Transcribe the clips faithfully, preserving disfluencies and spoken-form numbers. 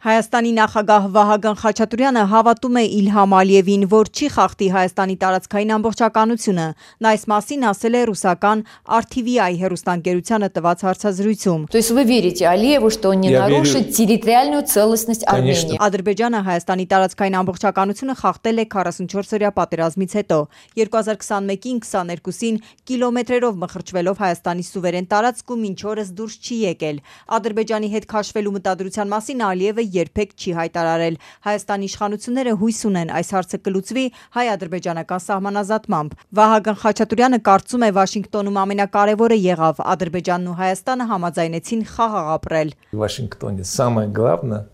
Հայաստանի նախագահ Վահագն Խաչատուրյանը հավատում է Իլհամ Ալիևին, որ չի խախտի Հայաստանի տարածքային ամբողջականությունը։ Նա այս մասին ասել է ռուսական ար թի վի այ հեռուստաընկերությանը տված հարցազրույցում։ То есть вы верите Алиеву, что он не нарушит территориальную целостность Армении? Ադրբեջանը Հայաստանի տարածքային ամբողջականությունը խախտել է քառասունչորսօրյա պատերազմից հետո։ երկու հազար քսանմեկին քսաներկուսին կիլոմետրերով մխրճվելով Հայաստանի սուվերեն տարածք ու մինչ օրս դուրս չի եկել։ Ադրբեջանի հետ քաշվելու մտադրության մասին Ալիևը երբեք չի հայտարարել։ Հայաստանի իշխանությունները հույս ունեն այս հարցը կլուծվի հայ-ադրբեջանական սահմանազատմամբ։ Վահագն Խաչատուրյանը կարծում է Վաշինգտոնում ամենակարևորը եղավ Ադրբեջանն ու Հայաստանը համաձայնեցին խաղաղ ապրել։ Վաշինգտոնի самое главное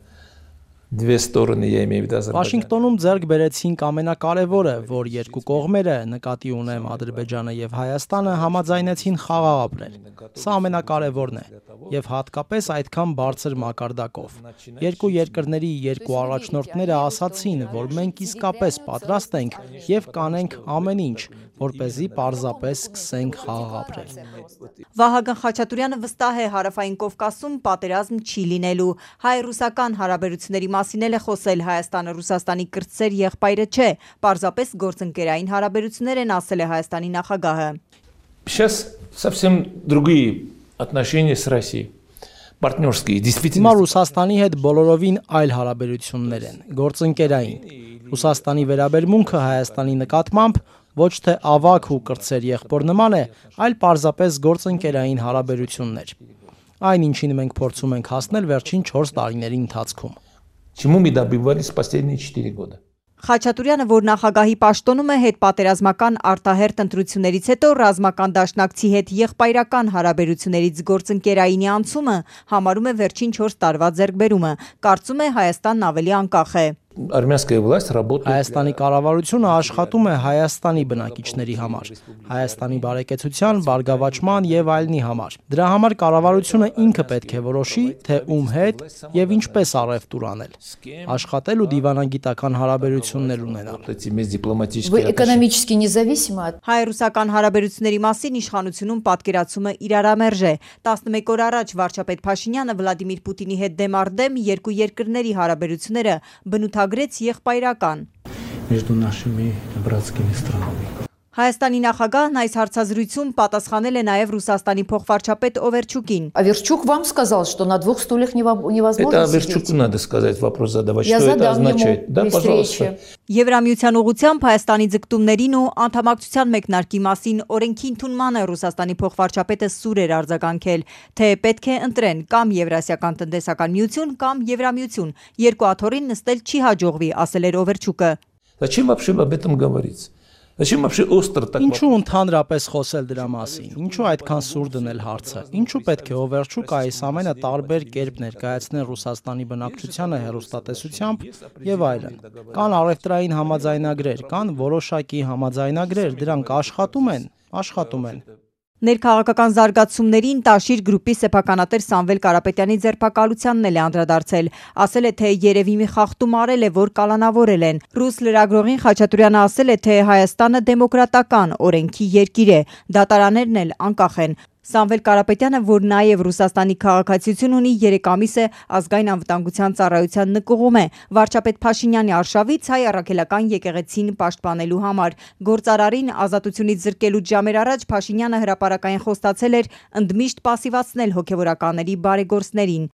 Две стороны, я имею в виду Азербайджан. Վաշինգտոնում ձեռք բերեցինք ամենակարևորը, որ երկու կողմերը, նկատի ունեմ Ադրբեջանը եւ Հայաստանը, համաձայնեցին խաղաղ ապրել։ Սա ամենակարևորն է եւ հատկապես այդքան բարձր մակարդակով։ Երկու երկրների երկու առաջնորդները ասացին, որ մենք իսկապես պատրաստ ենք եւ կանենք ամեն ինչ, որպեսզի պարզապես սկսենք խաղաղ ապրել։ Վահագն Խաչատուրյանը վստահ է Հարավային Կովկասում պատերազմ չի լինելու։ Հայ-ռուսական հարաբերությունների մասին էլ է խոսել Հայաստանը Ռուսաստանի կրտսեր եղբայրը չէ, պարզապես գործընկերային հարաբերություններ են, ասել է Հայաստանի նախագահը։ Сейчас совсем другие отношения с Россией. Партнерские, действительно. Հիմա Ռուսաստանի հետ բոլորովին այլ հարաբերություններ են, գործընկերային։ Ռուսաստանի վերաբերմունքը Հայաստանի նկատմամբ ոչ թե ավագ ու կրտսեր եղբոր նման է, այլ պարզապես գործընկերային հարաբերություններ։ Այն ինչին մենք փորձում ենք հասնել վերջին չորս տարիների ընթացքում։ Чему мы добивались последние четыре года? Խաչատուրյանը, որ նախագահի պաշտոնում է հետպատերազմական արտահերթ ընտրություններից հետո ռազմական դաշնակցի հետ եղբայրական հարաբերություններից գործընկերայինի անցումը համարում է վերջին չորս տարվա ձեռքբերումը, կարծում է Հայաստանն ավելի անկախ է։ Армянская власть работает. Հայաստանի կառավարությունը աշխատում է Հայաստանի բնակիչների համար, Հայաստանի բարեկեցության, բարգավաճման եւ այլնի համար։ Դրա համար կառավարությունը ինքը պետք է որոշի, թե ում հետ եւ ինչպես առևտուր անել, աշխատել ու դիվանագիտական հարաբերություններ ունենալ։ Вы экономически независимы от Հայ-ռուսական հարաբերությունների մասին իշխանությունում պատկերացումը իրարամերժ է։ տասնմեկ օր առաջ վարչապետ Փաշինյանը Վլադիմիր Պուտինի հետ դեմ առ դեմ երկու երկրների հարաբերությունները բնութագրեց եղբայրական։ Между нашими братскими странами. Հայաստանի նախագահն այս հարցազրույցում պատասխանել է նաև Ռուսաստանի փոխվարչապետ Օվերչուկին։ Аверчук вам сказал, что на двух стульях невозможно Это сидеть. Аверчуку надо сказать, вопрос задавать, Я что это задам ему означает. Да, при пожалуйста. встрече. Եվրամիության ուղղությամբ Հայաստանի ձգտումներին ու անդամակցության մեկնարկի մասին օրենքի ընդունմանը Ռուսաստանի փոխվարչապետը սուր էր արձագանքել, թե պետք է ընտրեն կամ Եվրասիական տնտեսական միություն կամ Եվրամիություն։ Երկու աթոռին նստել չի հաջողվի, ասել էր Օվերչուկը։ Зачем вообще об этом говорить? Зачем вообще остро так? Ինչու ընդհանրապես խոսել դրա մասին։ Ինչու այդքան սուր դնել հարցը։ Ինչու պետք է Օվերչուկը այս ամենը տարբեր կերպ ներկայացնել Ռուսաստանի բնակչությանը հեռուստատեսությամբ եւ այլն։ Կան առևտրային համաձայնագրեր, կան որոշակի համաձայնագրեր, դրանք աշխատում են, աշխատում են։ Ներքաղաքական զարգացումներին Տաշիր գրուպի սեփականատեր Սամվել Կարապետյանի ձերբակալությանն էլ է անդրադարձել, ասել է, թե երևի մի խախտում արել է, որ կալանավորել են։ Ռուս լրագրողին Խաչատուրյանը ասել է, թե Հայաստանը դեմոկրատական օրենքի երկիր է, դատարաններն էլ անկախ են։ Սամվել Կարապետյանը, որ նաև Ռուսաստանի քաղաքացիություն ունի, երեք ամիս է ազգային անվտանգության ծառայության նկուղում է, վարչապետ Փաշինյանի արշավից հայ առաքելական եկեղեցին պաշտպանելու համար։ Գործարարին ազատությունից զրկելուց ժամեր առաջ Փաշինյանը հրապարակային խոստացել էր ընդմիշտ պասիվացնել հոգևորականների բարեգործներին։